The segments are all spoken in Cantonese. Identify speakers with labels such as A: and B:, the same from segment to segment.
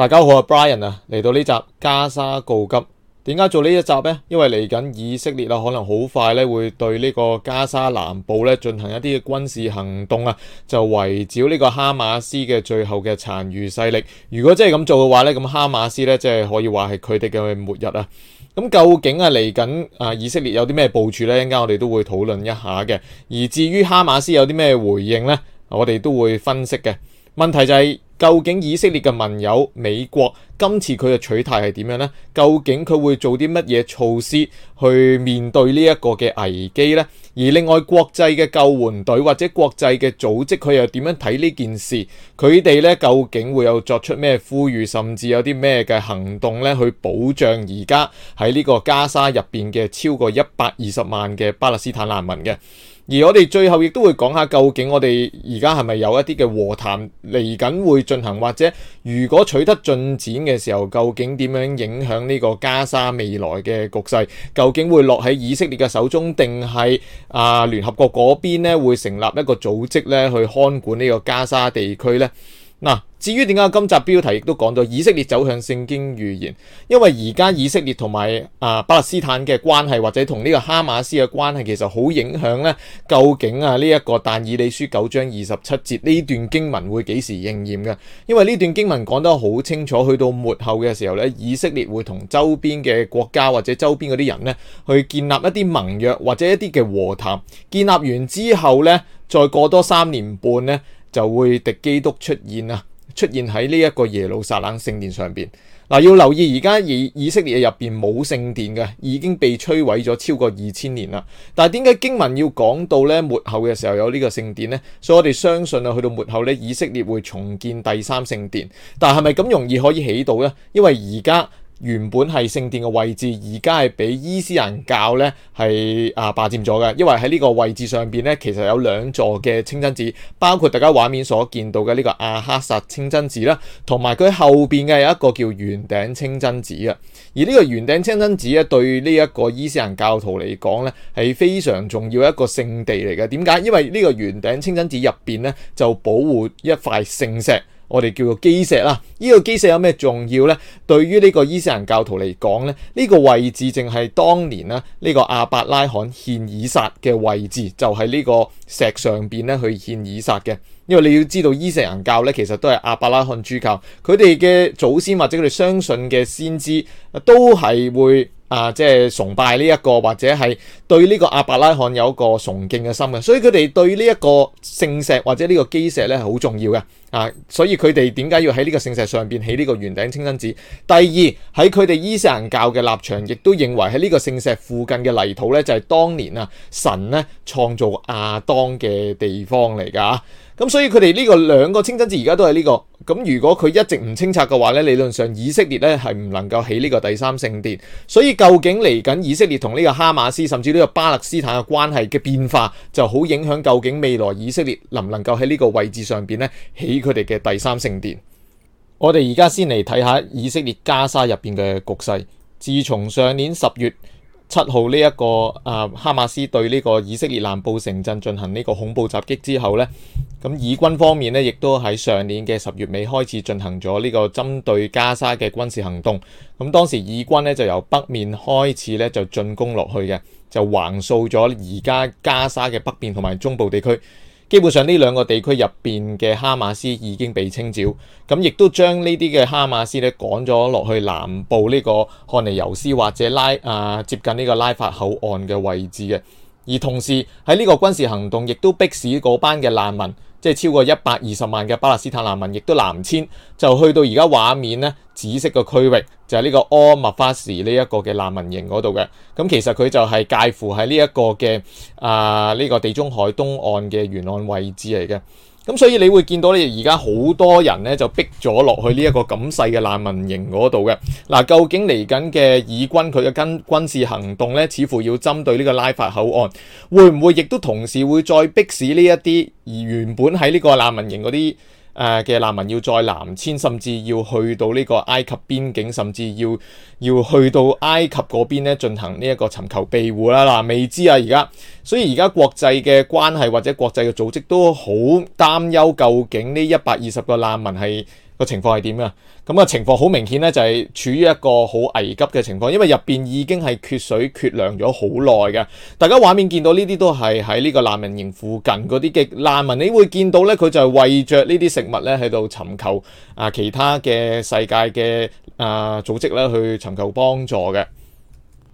A: 大家好，我係 Brian 啊，嚟到呢集加沙告急。點解做呢一集呢？因為嚟緊以色列可能好快咧會對呢個加沙南部咧進行一啲嘅軍事行動啊，就圍剿呢個哈馬斯嘅最後嘅殘餘勢力。如果真係咁做嘅話咧，咁哈馬斯咧即係可以話係佢哋嘅末日啊。咁究竟嚟緊以色列有啲咩部署呢？一陣間我哋都會討論一下嘅。而至於哈馬斯有啲咩回應呢？我哋都會分析嘅。問題就係究竟以色列嘅盟友美國今次佢嘅取態係點樣呢？究竟佢會做啲乜嘢措施去面對呢一個嘅危機呢？而另外國際嘅救援隊或者國際嘅組織佢又點樣睇呢件事？佢哋呢究竟會有作出咩呼籲，甚至有啲咩嘅行動呢去保障而家喺呢個加沙入邊嘅超過120萬嘅巴勒斯坦難民嘅？而我哋最後亦都會講下究竟我哋而家係咪有一啲嘅和談嚟緊會進行，或者如果取得進展嘅時候，究竟點樣影響呢個加沙未來嘅局勢？究竟會落喺以色列嘅手中，定係聯合國嗰邊咧會成立一個組織咧去看管呢個加沙地區呢？嗱，至於點解今集標題亦都講到以色列走向聖經預言，因為而家以色列同埋巴勒斯坦嘅關係，或者同呢個哈馬斯嘅關係，其實好影響咧。究竟呢一個但以理書9章27節呢段經文會幾時應驗嘅？因為呢段經文講得好清楚，去到末後嘅時候咧，以色列會同周邊嘅國家或者周邊嗰啲人咧，去建立一啲盟約或者一啲嘅和談。建立完之後咧，再過多3年半咧，就會敵基督出現喺呢一個耶路撒冷聖殿上邊。要留意而家以色列入邊冇聖殿嘅，已經被摧毀咗超過2000年啦。但係點解經文要講到咧末後嘅時候有呢個聖殿呢？所以我哋相信去到末後咧，以色列會重建第三聖殿。但係咪咁容易可以起到呢？因為而家原本係聖殿嘅位置，而家係俾伊斯蘭教咧係霸佔咗嘅。因為喺呢個位置上邊咧，其實有2座嘅清真寺，包括大家畫面所見到嘅呢個阿克薩清真寺啦，同埋佢後邊嘅有一個叫圓頂清真寺啊。而呢個圓頂清真寺咧，對呢一個伊斯蘭教徒嚟講咧，係非常重要一個聖地嚟嘅。點解？因為呢個圓頂清真寺入邊咧，就保護一塊聖石。我哋叫做基石啦，呢個基石有咩重要呢？對於呢個伊斯蘭教徒嚟講咧，呢個位置正係當年呢個亞伯拉罕獻以撒嘅位置，就係呢個石上邊咧去獻以撒嘅。因為你要知道伊斯蘭教咧，其實都係亞伯拉罕諸教，佢哋嘅祖先或者佢哋相信嘅先知都係會即係崇拜呢一個，或者係對呢個亞伯拉罕有一個崇敬嘅心嘅，所以佢哋對呢一個聖石或者呢個基石咧係好重要嘅所以佢哋點解要喺呢個聖石上邊起呢個圓頂清真寺？第二，喺佢哋伊斯蘭教嘅立場，亦都認為喺呢個聖石附近嘅泥土咧就係當年神咧創造亞當嘅地方嚟㗎。咁所以佢哋呢個2個清真寺而家都係呢個。咁如果佢一直唔清拆嘅話咧，理論上以色列咧係唔能夠起呢個第三聖殿。所以究竟嚟緊以色列同呢個哈馬斯甚至呢個巴勒斯坦嘅關係嘅變化，就好影響究竟未來以色列能唔能夠喺呢個位置上邊咧起佢哋嘅第三聖殿。我哋而家先嚟睇下以色列加沙入邊嘅局勢。自從上年10月7號呢一個哈馬斯對呢個以色列南部城鎮進行呢個恐怖襲擊之後呢，咁以軍方面呢亦都喺上年嘅10月尾開始進行咗呢個針對加沙嘅軍事行動。咁當時以軍呢就由北面開始呢就進攻落去嘅，就橫掃咗而家加沙嘅北邊同埋中部地區。基本上呢2個地區入邊嘅哈馬斯已經被清剿，咁亦都將呢啲嘅哈馬斯咧趕咗落去南部呢個漢尼尤斯或者接近呢個拉法口岸嘅位置嘅。而同時喺呢個軍事行動亦都迫使嗰班嘅難民，即係超過120萬嘅巴勒斯坦難民，亦都南遷，就去到而家畫面咧紫色嘅區域，就係呢個阿麥法士呢一個嘅難民營嗰度嘅。咁其實佢就係介乎喺呢一個嘅呢個地中海東岸嘅沿岸位置嚟嘅。咁所以你會見到咧，而家好多人咧就逼咗落去呢一個咁細嘅難民營嗰度嘅。究竟嚟緊嘅以軍佢嘅軍事行動咧，似乎要針對呢個拉法口岸，會唔會亦都同時會再逼使呢一啲而原本喺呢個難民營嗰啲嘅難民要再南遷，甚至要去到呢個埃及邊境，甚至要去到埃及嗰邊咧進行呢一個尋求庇護啦。未知而家，所以而家國際嘅關係或者國際嘅組織都好擔憂，究竟呢120個難民係個情況係點啊？咁情況好明顯咧，就係處於一個好危急嘅情況，因為入邊已經係缺水缺糧咗好耐嘅。大家畫面見到呢啲都係喺呢個難民營附近嗰啲嘅難民，你會見到咧，佢就係為着呢啲食物咧喺度尋求其他嘅世界嘅組織咧去尋求幫助嘅。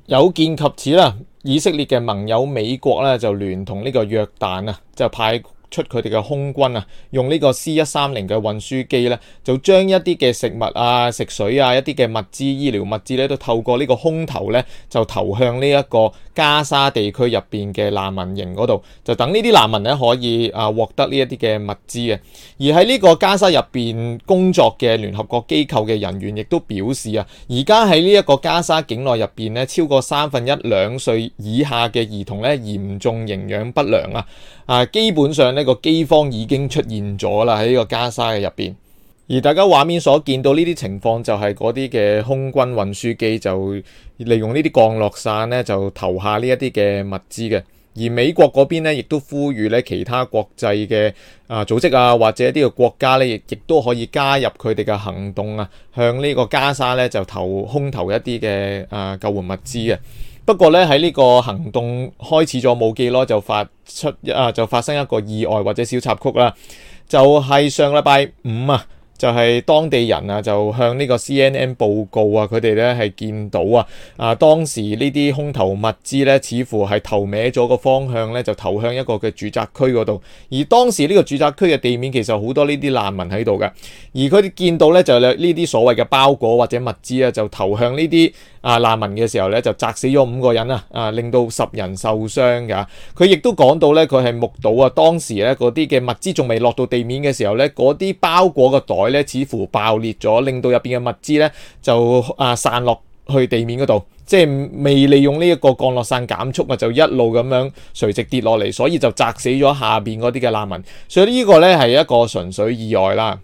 A: 有見及此啦，以色列嘅盟友美國咧就聯同呢個約旦就派出佢哋嘅空軍用呢個 C-130嘅運輸機咧，就將一啲嘅食物食水一啲嘅物資、醫療物資咧，都透過呢個空投咧，就投向呢一個加沙地區入邊嘅難民營嗰度，就等呢啲難民咧可以獲得呢一啲嘅物資嘅。而喺呢個加沙入邊工作嘅聯合國機構嘅人員亦都表示而家喺呢一個加沙境內入邊咧，超過1/32歲以下嘅兒童咧嚴重營養不良基本上呢個饑荒已經出現咗啦，喺呢個加沙嘅入邊。而大家畫面所見到呢啲情況，就係嗰啲嘅空軍運輸機就利用呢啲降落傘咧，就投下呢一啲嘅物資嘅。而美國嗰邊咧，亦都呼籲咧其他國際嘅組織或者一啲嘅國家咧，亦都可以加入佢哋嘅行動向呢個加沙咧就空投一啲嘅救援物資嘅。不過咧喺呢個行動開始咗冇幾耐，就發生一個意外或者小插曲啦，就係上禮拜五就係當地人就向呢個 CNN 報告佢哋咧係見到當時呢啲空投物資咧，似乎係投歪咗個方向咧，就投向一個嘅住宅區嗰度。而當時呢個住宅區嘅地面其實好多呢啲難民喺度嘅，而佢哋見到咧就呢啲所謂嘅包裹或者物資就投向呢啲難民嘅時候咧，就砸死咗5個人令到10人受傷㗎。佢亦都講到咧，佢係目睹當時咧嗰啲嘅物資仲未落到地面嘅時候咧，嗰啲包裹嘅袋咧似乎爆裂咗，令到入邊嘅物資咧就散落去地面嗰度，即係未利用呢一個降落傘減速就一路咁樣垂直跌落嚟，所以就砸死咗下邊嗰啲嘅難民。所以呢個咧係一個純粹意外啦。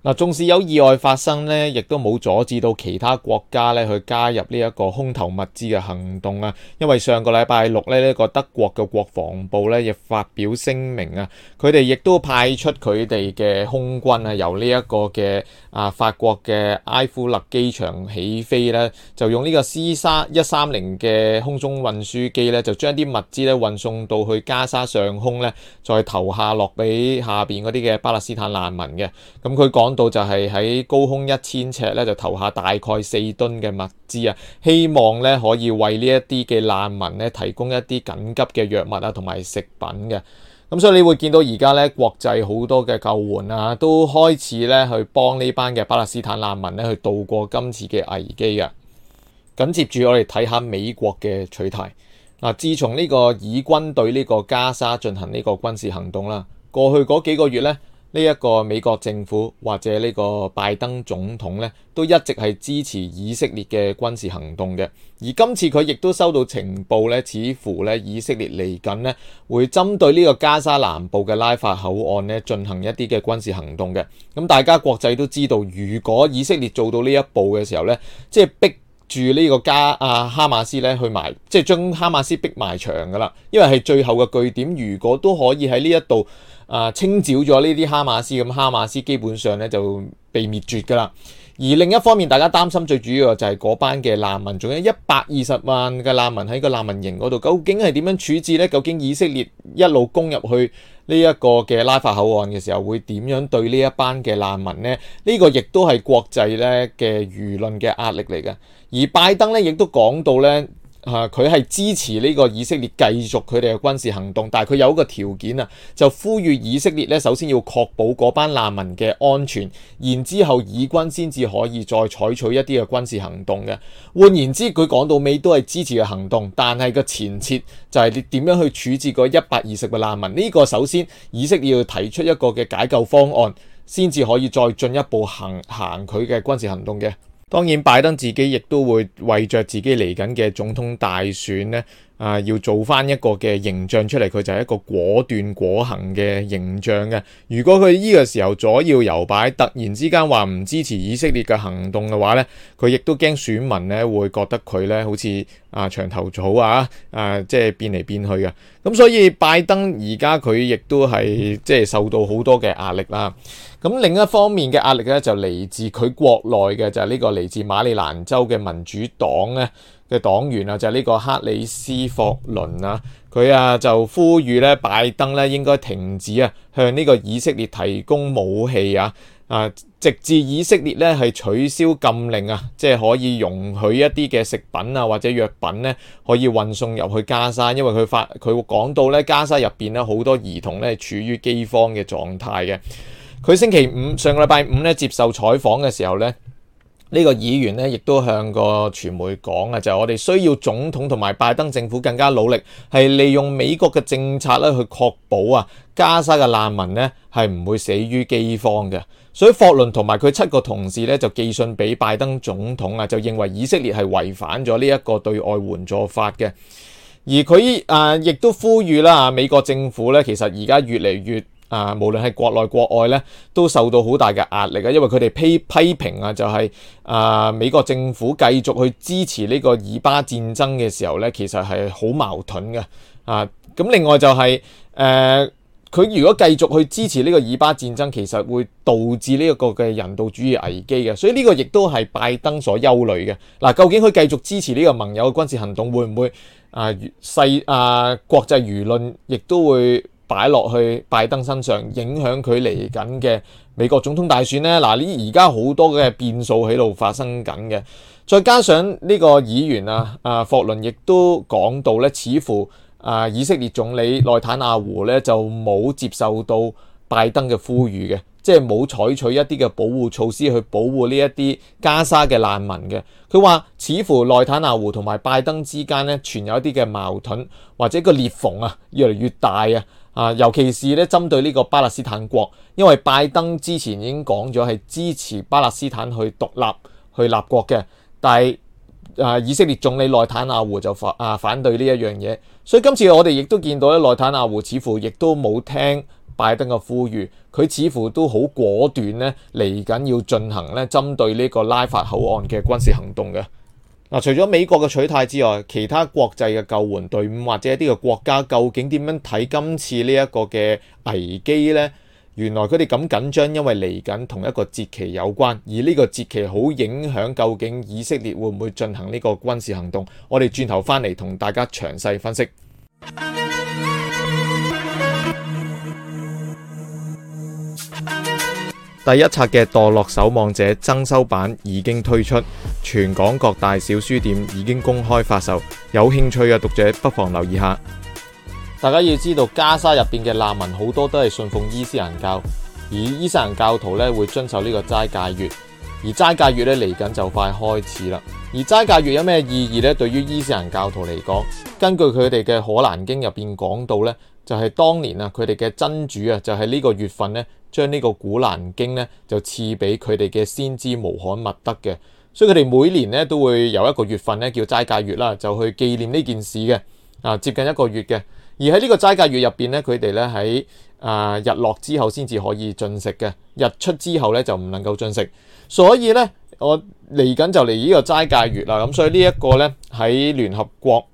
A: 縱使有意外發生咧，亦都冇阻止到其他國家咧去加入呢一個空投物資嘅行動因為上個禮拜六咧，呢個德國嘅國防部咧亦發表聲明佢哋亦都派出佢哋嘅空軍由呢一個嘅法國嘅埃夫勒機場起飛咧，就用呢個 C-130嘅空中運輸機咧，就將啲物資咧運送到去加沙上空咧，再投下落俾下邊嗰啲嘅巴勒斯坦難民嘅。咁佢講到就係喺高空1000尺咧，就投下大概4噸嘅物資希望咧可以為呢一啲嘅難民咧提供一啲緊急嘅藥物同埋食品嘅。咁所以你會見到而家咧國際好多嘅救援都開始咧去幫呢班嘅巴勒斯坦難民咧去渡過今次嘅危機嘅。緊接住我哋睇下美國嘅取態。自從呢個以軍對呢個加沙進行呢個軍事行動啦，過去嗰幾個月咧，呢一個美國政府或者呢個拜登總統咧，都一直係支持以色列嘅軍事行動嘅。而今次佢亦都收到情報咧，似乎咧以色列嚟緊咧會針對呢個加沙南部嘅拉法口岸咧進行一啲嘅軍事行動嘅。咁大家國際都知道，如果以色列做到呢一步嘅時候咧，即係逼住呢個哈馬斯咧去埋，即係將哈馬斯逼埋牆噶啦，因為係最後嘅據點。如果都可以喺呢一度清剿咗呢啲哈馬斯，咁哈馬斯基本上咧就被滅絕噶啦。而另一方面，大家擔心最主要嘅就係嗰班嘅難民，仲有120萬嘅難民喺個難民營嗰度，究竟係點樣處置呢？究竟以色列一路攻入去呢一個嘅拉法口岸嘅時候，會點樣對呢一班嘅難民呢？呢個亦都係國際咧嘅輿論嘅壓力嚟嘅。而拜登咧亦都講到咧，佢係支持呢個以色列繼續佢哋嘅軍事行動，但係佢有一個條件就呼籲以色列咧首先要確保嗰班難民嘅安全，然之後以軍先至可以再採取一啲嘅軍事行動嘅。換言之，佢講到尾都係支持嘅行動，但係個前設就係你點樣去處置嗰120個難民。呢個首先以色列要提出一個嘅解救方案，先至可以再進一步行佢嘅軍事行動嘅。當然，拜登自己亦都會為着自己嚟緊嘅總統大選咧，要做翻一個嘅形象出嚟，佢就係一個果斷果行嘅形象嘅。如果佢呢個時候左搖右擺，突然之間話唔支持以色列嘅行動嘅話咧，佢亦都驚選民咧會覺得佢咧好似牆頭草即係變嚟變去嘅。咁所以拜登而家佢亦都係即係受到好多嘅壓力啦。咁另一方面嘅壓力咧就嚟自佢國內嘅，就係呢個嚟自馬里蘭州嘅民主黨咧嘅黨員就係呢個克里斯霍倫啊，佢就呼籲咧拜登咧應該停止向呢個以色列提供武器直至以色列咧係取消禁令即係可以容許一啲嘅食品或者藥品咧可以運送入去加沙，因為佢講到咧加沙入邊咧好多兒童咧處於饑荒嘅狀態嘅。佢星期五上個禮拜五咧接受採訪嘅時候咧，呢個議員咧亦都向個傳媒講就係我哋需要總統同埋拜登政府更加努力，係利用美國嘅政策咧去確保加沙嘅難民咧係唔會死於饑荒嘅。所以霍倫同埋佢7個同事咧就寄信俾拜登總統就認為以色列係違反咗呢一個對外援助法嘅。而佢亦都呼籲啦，美國政府咧其實而家越嚟越無論係國內國外咧，都受到好大嘅壓力因為佢哋批評就係美國政府繼續去支持呢個以巴戰爭嘅時候咧，其實係好矛盾嘅咁另外就係佢如果繼續去支持呢個以巴戰爭，其實會導致呢一個嘅人道主義危機嘅，所以呢個亦都係拜登所憂慮嘅。究竟佢繼續支持呢個盟友嘅軍事行動，會唔會國際輿論亦都會擺落去拜登身上，影響佢嚟緊嘅美國總統大選呢？而家好多嘅變數喺度發生緊嘅，再加上呢個議員霍倫亦都講到咧，似乎以色列總理內塔尼亞胡咧就冇接受到拜登嘅呼籲嘅，即係冇採取一啲嘅保護措施去保護呢一啲加沙嘅難民嘅。佢話似乎內塔尼亞胡同埋拜登之間咧存有一啲嘅矛盾，或者個裂縫越嚟越大尤其是咧針對呢個巴勒斯坦國，因為拜登之前已經講咗係支持巴勒斯坦去獨立去立國嘅，但係以色列總理內塔尼亞胡就反對呢一樣嘢，所以今次我哋亦都見到咧內塔尼亞胡似乎亦都冇聽拜登嘅呼籲，佢似乎都好果斷咧嚟緊要進行咧針對呢個拉法口岸嘅軍事行動嘅。除咗美國嘅取態之外，其他國際嘅救援隊伍或者一啲嘅國家究竟點樣睇今次呢一個嘅危機呢？原來佢哋咁緊張，因為嚟緊同一個節期有關，而呢個節期好影響究竟以色列會唔會進行呢個軍事行動。我哋轉頭翻嚟同大家詳細分析。第一冊嘅墮落守望者增修版已經推出，全港各大小書店已經公開發售，有興趣嘅讀者不妨留意下。大家要知道，加沙入邊嘅難民好多都係信奉伊斯蘭教，而伊斯蘭教徒咧會遵守呢個齋戒月，而齋戒月咧嚟緊就快開始啦。而齋戒月有咩意義呢？對於伊斯蘭教徒嚟講，根據佢哋嘅可蘭經入邊講到呢，就係當年佢哋嘅真主就係呢個月份呢，將呢個古蘭經呢就賜俾佢哋嘅先知穆罕默德嘅，所以佢哋每年呢都會有一個月份呢叫齋戒月啦，就去紀念呢件事嘅，接近一個月嘅。而喺呢個齋戒月入邊呢，佢哋呢喺日落之後先至可以進食嘅，日出之後呢就唔能夠進食。所以呢，我嚟緊就嚟呢個齋戒月啦，咁所以呢一個呢喺聯合國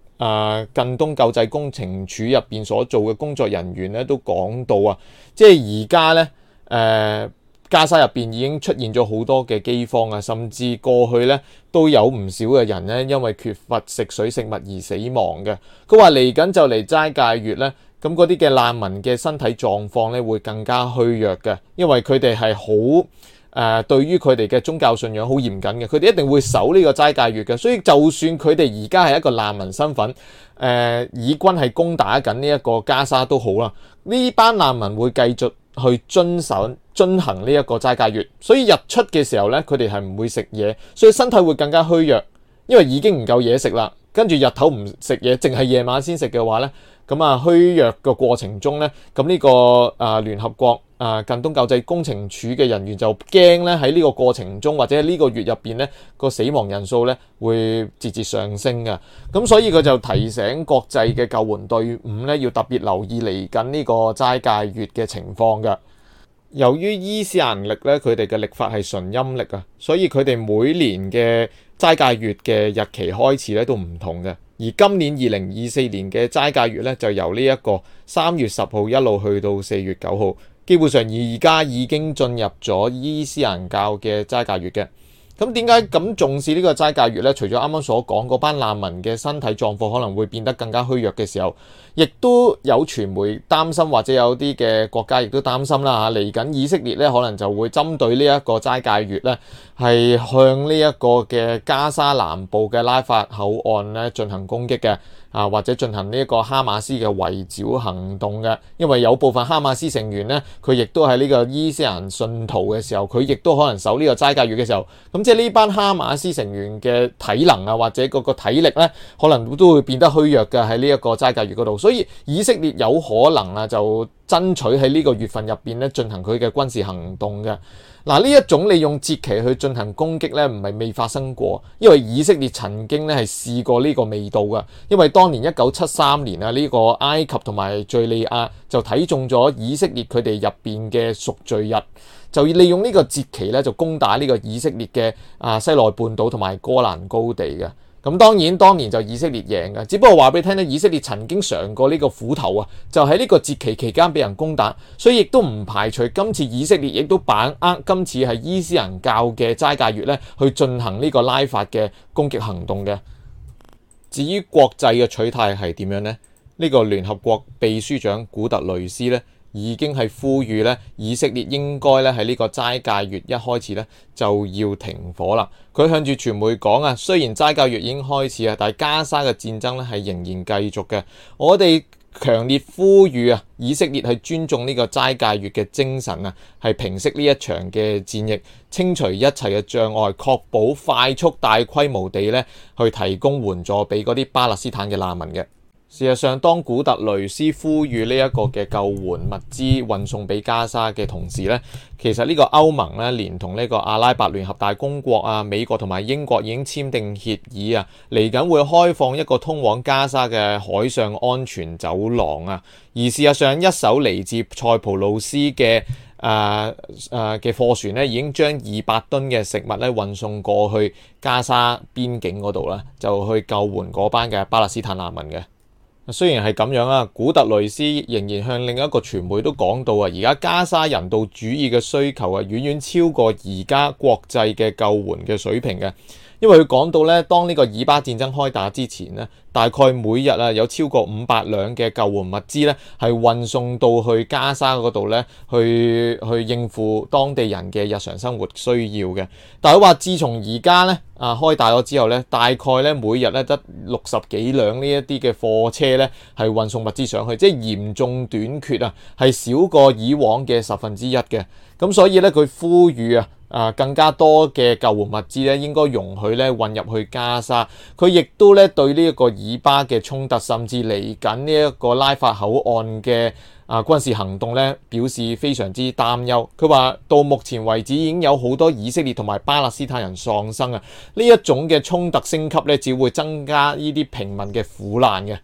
A: 近東救濟工程處入邊所做嘅工作人員咧都講到即係而家咧加沙入邊已經出現咗好多嘅饑荒甚至過去咧都有唔少嘅人咧因為缺乏食水食物而死亡嘅。佢話嚟緊就嚟齋戒月咧，咁嗰啲嘅難民嘅身體狀況咧會更加虛弱嘅，因為佢哋係好對於佢哋嘅宗教信仰好嚴謹嘅，佢哋一定會守呢個齋戒月嘅，所以就算佢哋而家係一個難民身份，以軍係攻打緊呢一個加沙都好啦，呢班難民會繼續去遵行呢一個齋戒月，所以日出嘅時候咧，佢哋係唔會食嘢，所以身體會更加虛弱，因為已經唔夠嘢食啦，跟住日頭唔食嘢，淨係夜晚先食嘅話咧，咁啊虛弱嘅過程中咧，咁呢個聯合國近東救濟工程處嘅人員就驚咧喺呢個過程中或者呢個月入邊咧個死亡人數咧會節節上升嘅，咁所以佢就提醒國際嘅救援隊伍咧要特別留意嚟緊呢個齋戒月嘅情況嘅。由於伊斯蘭曆咧，佢哋嘅曆法係純陰曆啊，所以佢哋每年嘅齋戒月嘅日期開始咧都唔同嘅。而今年2024年嘅齋戒月咧，就由呢一個3月10號一路去到4月9號，基本上而家已經進入咗伊斯蘭教嘅齋戒月嘅。咁點解咁重視呢個齋戒月呢？除咗啱啱所講嗰班難民嘅身體狀況可能會變得更加虛弱嘅時候，亦都有傳媒擔心，或者有啲嘅國家亦都擔心啦嚇。嚟緊以色列呢，可能就會針對呢一個齋戒月呢，係向呢一個嘅加沙南部嘅拉法口岸呢進行攻擊嘅。或者進行呢一個哈馬斯嘅圍剿行動嘅，因為有部分哈馬斯成員呢，佢亦都係呢個伊斯蘭信徒嘅時候，佢亦都可能守呢個齋戒月嘅時候，咁即係呢班哈馬斯成員嘅體能或者嗰個體力呢，可能都會變得虛弱嘅喺呢一個齋戒月嗰度，所以以色列有可能就爭取喺呢個月份入邊咧進行佢嘅軍事行動嘅。嗱，呢一種利用節期去進行攻擊咧，唔係未發生過，因為以色列曾經咧係試過呢個味道嘅，因為當年1973年呢個埃及同埋敍利亞就睇中咗以色列佢哋入邊嘅贖罪日，就利用呢個節期咧就攻打呢個以色列嘅西奈半島同埋哥蘭高地嘅。咁當然當年就以色列贏嘅，只不過話俾你聽咧，以色列曾經嘗過呢個苦頭啊，就喺呢個節期期間俾人攻打，所以亦都唔排除今次以色列亦都把握今次係伊斯蘭教嘅齋戒月咧，去進行呢個拉法嘅攻擊行動嘅。至於國際嘅取態係點樣呢？呢個聯合國秘書長古特雷斯咧，已經係呼籲咧，以色列應該咧喺呢個齋戒月一開始咧就要停火啦。佢向住傳媒講啊，雖然齋戒月已經開始啊，但係加沙嘅戰爭咧係仍然繼續嘅。我哋強烈呼籲啊，以色列係尊重呢個齋戒月嘅精神啊，係平息呢一場嘅戰役，清除一切嘅障礙，確保快速大規模地咧去提供援助俾嗰啲巴勒斯坦嘅難民嘅。事實上，當古特雷斯呼籲呢一個嘅救援物資運送俾加沙嘅同時呢，其實呢個歐盟呢，連同呢個阿拉伯聯合大公國美國同埋英國已經簽訂協議啊，嚟緊會開放一個通往加沙嘅海上安全走廊啊。而事實上，一艘嚟自塞浦路斯嘅嘅貨船呢，已經將200噸嘅食物咧運送過去加沙邊境嗰度啦，就去救援嗰班嘅巴勒斯坦難民嘅。雖然係咁樣啊，古特雷斯仍然向另一個傳媒都講到啊，而家加沙人道主義嘅需求遠遠超過而家國際嘅救援嘅水平嘅。因為佢講到咧，當呢個以巴戰爭開打之前咧，大概每日有超過500輛嘅救援物資咧係運送到去加沙嗰度咧，去應付當地人嘅日常生活需要嘅。但係佢話，自從而家咧開打咗之後咧，大概咧每日咧得60幾輛呢一啲嘅貨車咧係運送物資上去，即係嚴重短缺啊，係少過以往嘅1/10嘅。咁所以咧，佢呼籲更加多嘅救援物資咧，應該容許咧運入去加沙。佢亦都咧對呢一個以巴嘅衝突，甚至嚟緊呢一個拉法口岸嘅軍事行動咧，表示非常之擔憂。佢話到目前為止已經有好多以色列同埋巴勒斯坦人喪生啊！呢一種嘅衝突升級咧，只會增加呢啲平民嘅苦難嘅。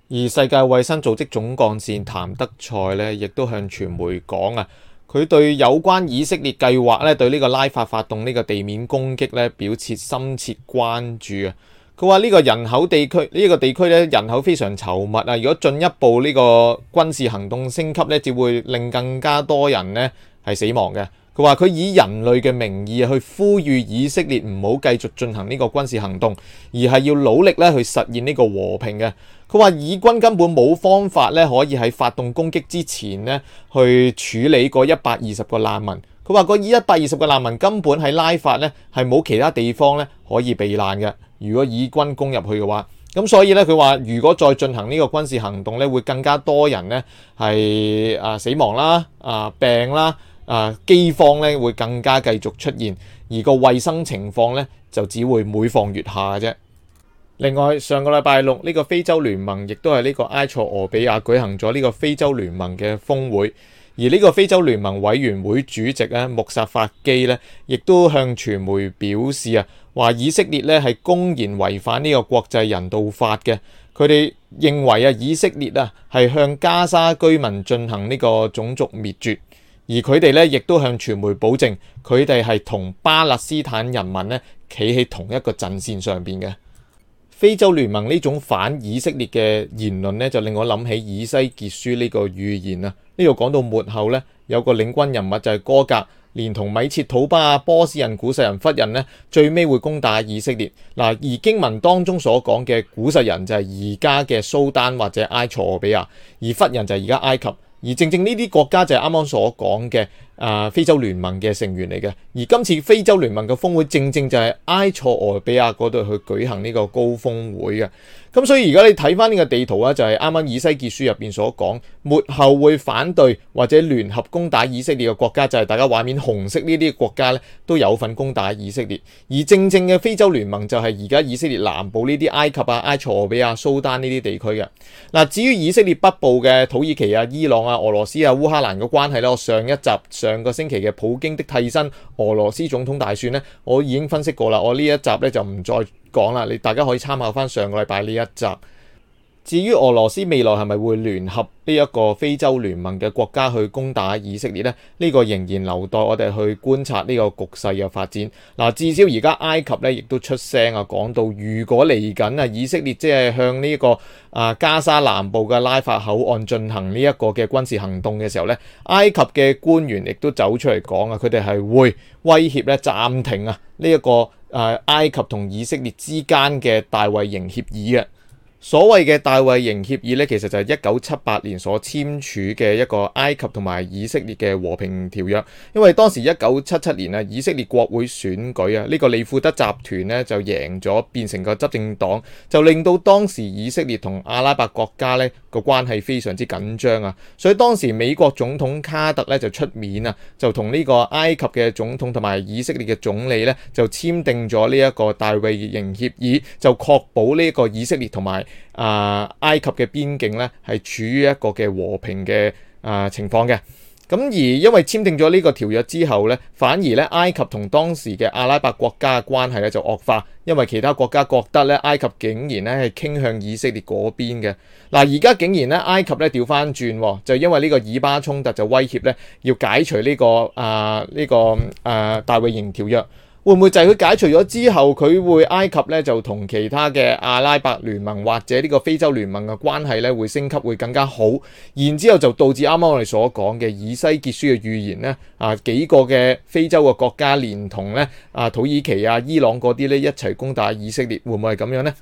A: 而世界衛生組織總幹事譚德塞咧，亦都向傳媒講啊，佢對有關以色列計劃咧，對呢個拉法發動呢個地面攻擊咧，表示深切關注啊！佢話呢個人口地區呢個地區咧，人口非常稠密啊！如果進一步呢個軍事行動升級咧，只會令更加多人咧係死亡嘅。佢話佢以人類嘅名義去呼籲以色列唔好繼續進行呢個軍事行動，而係要努力咧去實現呢個和平嘅。佢話以軍根本冇方法咧可以喺發動攻擊之前咧去處理嗰120個難民。佢話嗰120個難民根本喺拉法咧係冇其他地方咧可以避難嘅。如果以軍攻入去嘅話，咁所以咧佢話如果再進行呢個軍事行動咧，會更加多人咧係死亡啦、病啦、饑荒咧會更加繼續出現，而個衛生情況咧就只會每況愈下嘅啫。另外上個禮拜六呢個非洲聯盟亦都係呢個埃塞俄比亞舉行咗呢個非洲聯盟嘅峰會，而呢個非洲聯盟委員會主席咧穆薩法基咧亦都向傳媒表示啊，話以色列咧係公然違反呢個國際人道法嘅。佢哋認為啊，以色列啊係向加沙居民進行呢個種族滅絕，而佢哋咧亦都向傳媒保證，佢哋係同巴勒斯坦人民咧企喺同一個陣線上邊嘅。非洲聯盟呢種反以色列嘅言論呢，就令我諗起以西結書呢個預言啊。呢度講到末後呢，有個領軍人物就係哥格，連同米設土巴、波斯人、古實人、弗人呢，最尾會攻打以色列。嗱，而經文當中所講嘅古實人就係而家嘅蘇丹或者埃塞俄比亞，而弗人就係而家埃及。而正正呢啲國家就係啱啱所講嘅非洲聯盟嘅成員嚟嘅，而今次非洲聯盟嘅峰會正正就係埃塞俄比亞嗰度去舉行呢個高峰會嘅。咁所以而家你睇翻呢個地圖啊，就係啱啱以西結書入邊所講，末後會反對或者聯合攻打以色列嘅國家，就係大家畫面紅色呢啲國家咧都有份攻打以色列。而正正嘅非洲聯盟就係而家以色列南部呢啲埃及啊、埃塞俄比亞、蘇丹呢啲地區嘅。嗱，至於以色列北部嘅土耳其啊、伊朗啊、俄羅斯啊、烏克蘭嘅關係咧，我上個星期嘅普京的替身俄羅斯總統大選咧，我已經分析過啦。我呢一集咧就唔再講啦，大家可以參考翻上個禮拜呢一集。至於俄羅斯未來係咪會聯合呢一個非洲聯盟嘅國家去攻打以色列呢？呢個仍然留待我哋去觀察呢個局勢嘅發展。嗱，至少而家埃及咧亦都出聲啊，講到如果嚟緊啊以色列即係向呢個加沙南部嘅拉法口岸進行呢一個嘅軍事行動嘅時候咧，埃及嘅官員亦都走出嚟講啊，佢哋係會威脅咧暫停啊呢一個埃及同以色列之間嘅大衛營協議嘅。所謂嘅大衛營協議咧，其實就係1978年所簽署嘅一個埃及同埋以色列嘅和平條約。因為當時1977年啊，以色列國會選舉啊，呢個利庫德集團咧就贏咗，變成個執政黨，就令到當時以色列同阿拉伯國家咧個關係非常之緊張啊。所以當時美國總統卡特咧就出面啊，就同呢個埃及嘅總統同埋以色列嘅總理咧就簽訂咗呢一個大衛營協議，就確保呢個以色列同埋埃及嘅邊境咧係處於一個嘅和平嘅情況嘅。咁而因為簽訂咗呢個條約之後咧，反而咧埃及同當時嘅阿拉伯國家嘅關係咧就惡化，因為其他國家覺得咧埃及竟然咧係傾向以色列嗰邊嘅。嗱，而家竟然咧埃及咧調翻轉，就因為呢個以巴衝突就威脅咧要解除呢個大衛營條約。會唔會就係佢解除咗之後，佢會埃及咧就同其他嘅阿拉伯聯盟或者呢個非洲聯盟嘅關係咧會升級，會更加好，然之後就導致啱啱我哋所講嘅以西結書嘅預言咧，幾個嘅非洲嘅國家連同咧土耳其啊、伊朗嗰啲咧一齊攻打以色列，會唔會係咁樣呢？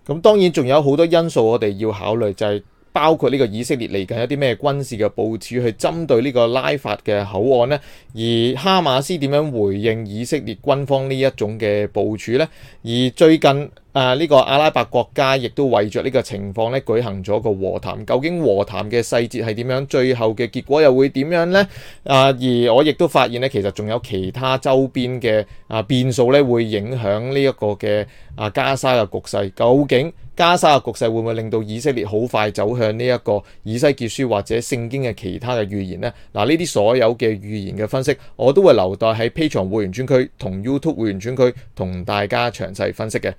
A: 咁當然仲有好多因素我哋要考慮，就係包括呢個以色列嚟緊一啲咩軍事嘅部署去針對呢個拉法嘅口岸呢？而哈馬斯點樣回應以色列軍方呢一種嘅部署呢？而最近呢個阿拉伯國家亦都為着呢個情況咧舉行咗個和談，究竟和談嘅細節係點樣？最後嘅結果又會點樣呢？而我亦都發現咧，其實仲有其他周邊嘅變數咧，會影響呢一個嘅加沙嘅局勢。究竟加沙嘅局勢會唔會令到以色列好快走向呢一個以西結書或者聖經嘅其他嘅預言呢？呢啲所有嘅預言嘅分析，我都會留待喺 Patreon 會員專區同 YouTube 會員專區同大家詳細分析嘅。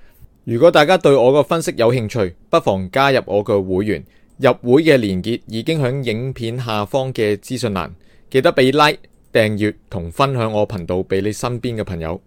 A: 如果大家對我個分析有興趣，不妨加入我個會員。入會嘅連結已經喺影片下方嘅資訊欄，記得俾 like、訂閱同分享我頻道俾你身邊嘅朋友。